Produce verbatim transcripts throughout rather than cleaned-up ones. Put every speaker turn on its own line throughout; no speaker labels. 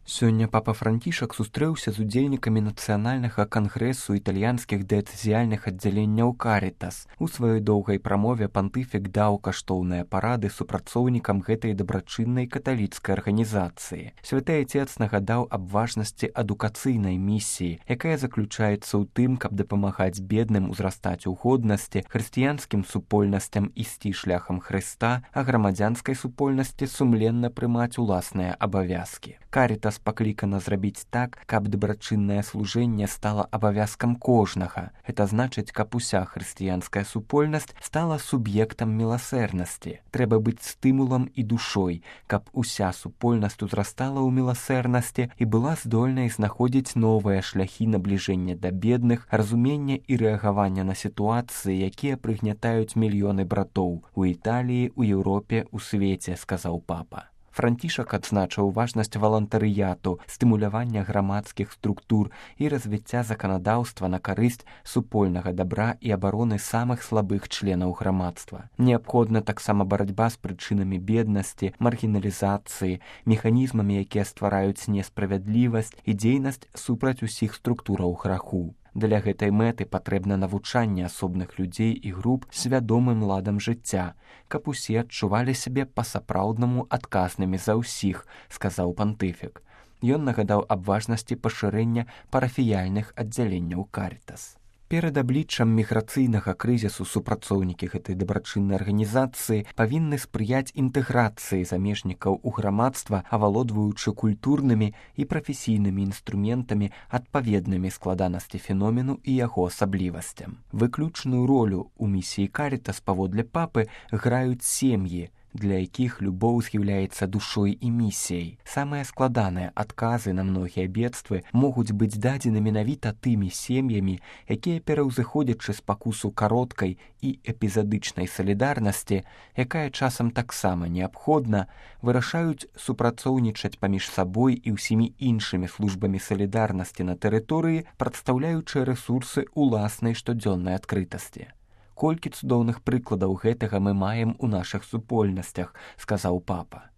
Сёння папа Францішак сустрэўся з удзельнікамі нацыянальнага кангрэсу італьянскіх дыяцэзіяльных аддзяленняў Карітас. У сваёй доўгай прамове пантыфік даў каштоўныя парады супрацоўнікам гэтай дабрачыннай каталіцкай арганізацыі. Святы Ацец нагадаў аб важнасці адукацыйнай місіі, якая заключаецца ў тым, каб дапамагаць бедным узрастаць у годнасці, хрысціянскім супольнасцям ісці шляхам Хрыста, а грамадзянскай супольнасці сумленна прымаць уласныя абавязкі. Карітас паклікана зрабіць так, каб дабрачыннае служэнне стала абавязкам кожнага. Гэта значыць, каб уся хрысціянская супольнасць стала суб'ектам міласэрнасці. Трэба быць стымулам і душой, каб уся супольнасць узрастала ў міласэрнасці і была здольнай знаходзіць новыя шляхі набліжэння да бедных, разумення і рэагавання на сітуацыі, якія прыгнятаюць мільёны братоў у Італіі, у Еўропе, у свеце, сказаў папа. Францішак адзначыў важнасць валантарыяту, стымулявання грамадскіх структур і развіцця заканадаўства на карысць супольнага дабра і абароны самых слабых членаў грамадства. Неабходна таксама барацьба з прычынамі беднасці, маргіналізацыі, механізмамі, якія ствараюць несправядлівасць і дзейнасць супраць усіх структураў граху. Для гэтай мэты патрэбна навучанне асобных людзей і груп свядомым ладам жыцця, каб усе адчувалі сябе па-сапраўднаму адказнымі за ўсіх, сказаў пантыфік. Ён нагадаў аб важнасці пашырэння парафіяльных аддзяленняў Карітас. Перад абліччам міграцыйнага крызісу супрацоўнікі гэтай дабрачыннай арганізацыі павінны спрыяць інтэграцыі замежнікаў у грамадства, авалодваючы культурнымі і прафесійнымі інструментамі, адпаведнымі складанасці феномену і яго асаблівасцям. Выключную ролю ў місіі Карітас паводле папы граюць сем'і, для якіх любоў з'яўляецца душой і місіяй. Самыя складаныя адказы на многія бедствы могуць быць дадзены менавіта тымі сем'ямі, якія, пераўзыходзячы спакусу кароткай і эпізадычнай салідарнасці, якая часам таксама неабходна, вырашаюць супрацоўнічаць паміж сабой і ўсімі іншымі службамі салідарнасці на тэрыторыі, прадстаўляючы рэсурсы ўласнай штодзённай адкрытасці. Колькі цудоўных прыкладаў гэтага мы маем у нашых супольнасцях, сказаў папа.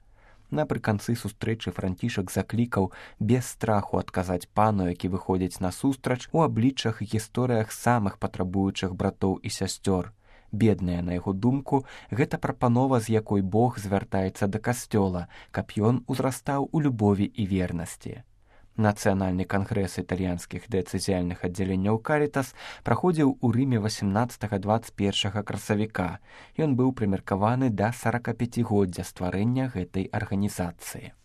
Напрыканцы сустрэчы Францішак заклікаў без страху адказаць пану, які выходзіць насустрач у абліччах і гісторыях самых патрабуючых братоў і сясцёр. Бедная, на яго думку, гэта прапанова, з якой Бог звяртаецца да касцёла, каб ён узрастаў у любові і вернасці. Нацыянальны кангрэс італьянскіх дыяцэзіяльных аддзяленняў Карітас праходзіў у Рыме васемнаццатага дваццаць першага красавіка. Ён быў прымеркаваны да саракапяцігоддзя стварэння гэтай арганізацыі.